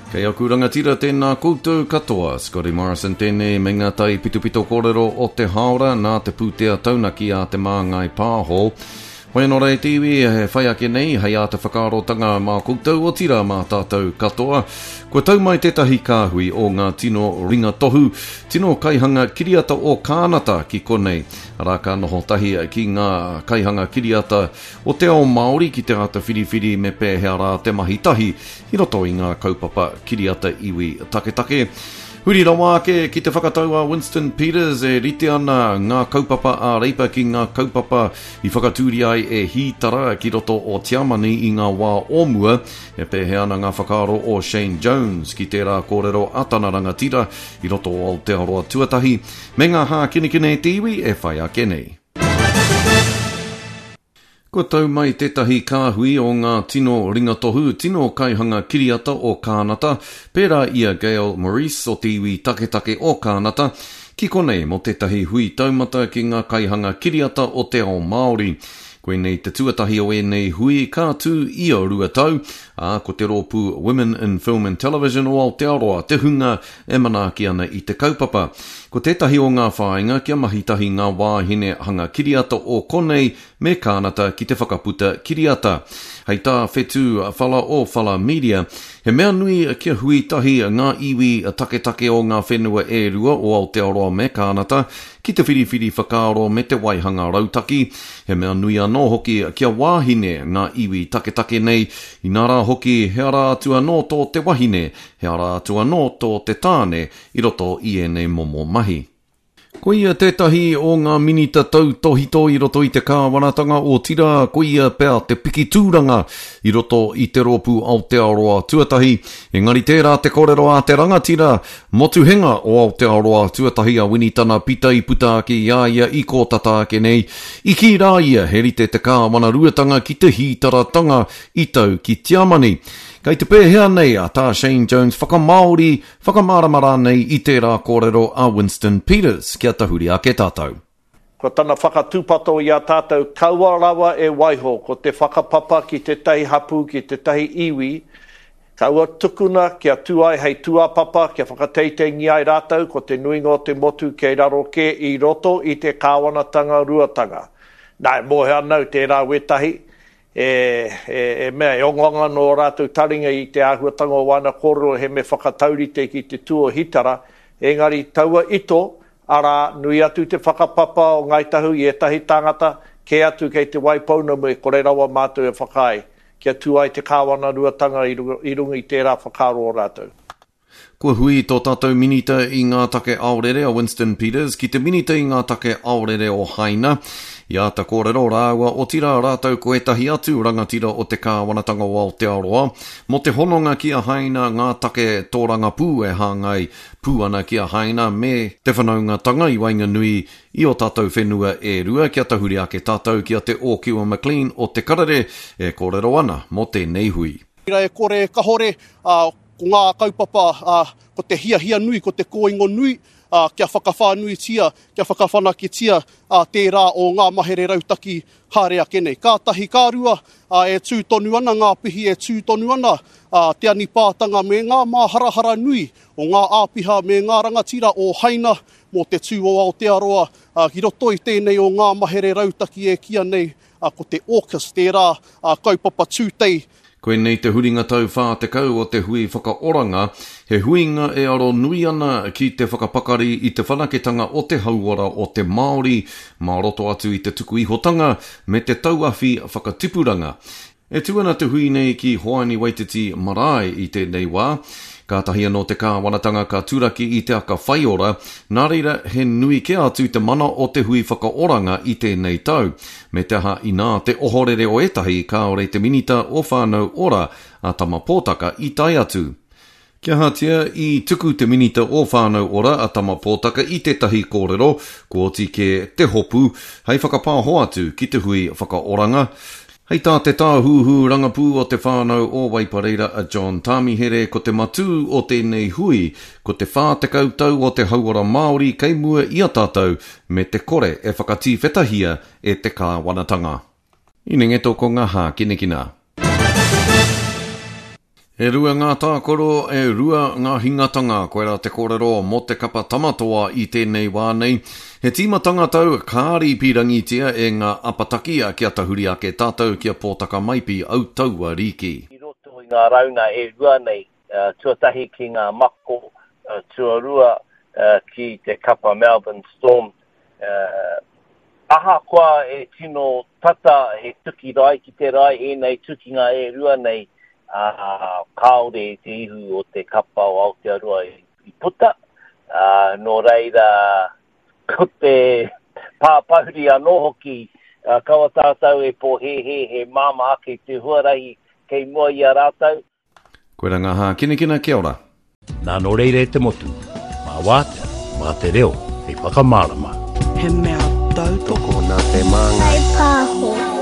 Kei aku rangatira tēnā koutou katoa, Scotty Morrison tēnei me ngā tai pitopito kōrero o te hāora nā te pūtea taunaki a Te Māngai Pāho. Hoi anō rā e te iwi, e whai ake nei hei āta whakaarotanga mā koutou otirā mā tātou katoa. Kua tau mai tētahi kāhui o ngā tino ringa tohu, tino kaihanga kiriata o Kānata ki konei, arā ka noho tahi ki ngā kaihanga kiriata o te ao Māori ki te āta whiriwhiri me pēhea rā te mahi tahi i roto i ngā kaupapa kiriata iwi taketake. Huri rawa ake ki te whakatau a Winston Peters e rite ana ngā kaupapa a Reipa ki ngā kaupapa i whakatūria ai e Hītara ki roto o Tiamani i ngā wā o mua, e pēhea ana ngā whakaaro o Shane Jones ki tērā kōrero a tana rangatira i roto o Aotearoa tuatahi, me ngā hākinakina e te iwi e whai ake nei. Kua tau mai tētahi kāhui o ngā tino ringatohu, tino kaihanga kiriata o Kānata, pērā i a Gail Maurice o te iwi taketake o Kānata, ki konei mō tētahi hui taumata ki ngā kaihanga kiriata o te ao Māori. Koinei te tuatahi o ēnei hui ka tū ia 2 tau, ā, ko te rōpū Women in Film and Television o Aotearoa te hunga e manaaki ana i te kaupapa. Ko tētahi o ngā whāinga kia mahi tahi ngā wāhine hanga kiriata o konei me Kānata ki te whakaputa kiriata. Hei tā Whetū Whala o Whala Media, he mea nui kia hui tahi ngā iwi taketake o ngā whenua e rua o Aotearoa me Kānata ki te whiriwhiri whakaaro me te waihanga rautaki. He mea nui anō hoki kia wāhine ngā iwi taketake nei, inā rā hoki he ara atu anō tō te wahine, he ara atu anō tō te tāne i roto i ēnei momo mahi. Ko ia tētahi o ngā minita tautōhito i roto i te kāwanatanga, otirā ko ia pea te piki tūranga i roto i te rōpū Aotearoa Tuatahi. Engari tērā te kōrero a te rangatira motuhenga o Aotearoa Tuatahi a Winitana Pita i puta ake i a ia i kō tata ake nei, i kī rā ia he rite te kāwanaruatanga ki te hītaratanga i tau ki Tiamani. Kei te pēhea nei a tā Shane Jones whakamāori Whakamārama rānei i tērā kōrero a Winston Peters kia tahuri ake tātou. Ko tana whakatūpato i a tātou kaua rawa e waiho ko te whakapapa ki tētahi hapū, ki tētahi iwi, kaua tukuna kia tū ai hei tūāpapa, kia whakateiteingia ai rātou, ko te nuinga o te motu kei raro kē i roto i te kāwanatanga ruatanga. Nā, e mōhio ana au tērā wētahi, E, e, e mea, e ongaonga ana ō rātou taringa i te āhuatanga o wāna kōrero he me whakataurite ki te tū o Hitara, engari taua ito, arā, nui atu te whakapapa o Ngāi Tahu i ētahi tāngata, kē atu kei Te Waipounamu e kore rawa mātou e whakaae kia tū ai te kāwanaruatanga i runga, i runga i tērā whakaaro o rātou. Kua hui tō tātou Minita i ngā take aorere a Winston Peters ki te Minita i ngā take aorere o Haina. I āta kōrero rāua, otirā rātou ko ētahi atu rangatira o te kāwanatanga o Aotearoa, mō te hononga ki a Haina, ngā take tōrangapū e hāngai pū ana ki a Haina me te whanaungatanga i waenganui i ō tātou whenua e rua kia tahuri ake tātou ki a Te Ōkiwa McLean o Te Karere e kōrero ana mō tēnei hui. E kore e kahore, ā, Ko ngā kaupapa, ā, ko te hiahia nui, ko te kōingo nui, ā, kia whakawhānuitia, kia whakawhanaketia, ā, tērā o ngā mahere rautaki haere ake nei. Ka tahi, ka rua, ā, e tū tonu ana ngā pihi, e tū tonu ana, ā, te anipātanga me ngā māharahara nui o ngā āpiha me ngā rangatira o Haina mō te tū o Aotearoa, ā, ki roto i tēnei o ngā mahere rautaki e kīia nei, ā, ko te AUKUS, tērā, ā, kaupapa tūtei. Koinei te huringa tau 40 o te Hui Whakaoranga, he huinga e aro nui ana ki te whakapakari i te whanaketanga o te hauora o te Māori mā roto atu i te tuku ihotanga me te tauawhi whakatipuranga. E tū ana te hui nei ki Hoani Waititi Marae i tēnei wā. Kātahi anō te kāwanatanga ka turaki i te aka whaiora, nā reira he nui kē atu te mana o te Hui Whakaoranga i tēnei tau. Me te aha inā te ohorere o ētahi kāore te Minita o Whānau Ora a Tama Pōtaka i tae atu. Kia ahatia, i tuku te Minita o Whānau Ora a Tama Pōtaka i tētahi kōrero, kua oti kē te hopu, hei whakapāho atu ki te hui whakaoranga. Hei tā te tāhuhu rangapū o te whānau o Waipareira a John Tāmihere ko te matū o tēnei hui ko te 40 tau o te hauora Māori kei mua i a tātou me te kore e whakatīwhetahia e te kāwanatanga. Inengeto ko ngā hākinakina. E rua ngā tākaro, e rua ngā hingatanga, koirā te kōrero mō te kapa Tamatoa i tēnei wā nei. He tīmatanga tau kāri pīrangitia e ngā apataki kia tahuri ake tātou ki a Pōtaka Maipi au taua rīki. I roto i ngā rauna e rua nei, tuatahi ki ngā mako, tuarua ki te kapa Melbourne Storm, Ahakoa e tino tata he tuki rae ki te rae ēnei tukinga e rua nei, ā, kāore te ihu o te kapa o Aotearoa i puta, ā, nō reira, ko te pāpahuri anō hoki, kaua tātou e pōhēhē he māmā ake te huarahi kei mua i a rātou. Koira ngā hākinakina, kia ora. Nā nō reira e te motu, mā wātea, mā te reo hei whakamārama. He mea tautoko. Tokona te māngai. Whai pāho.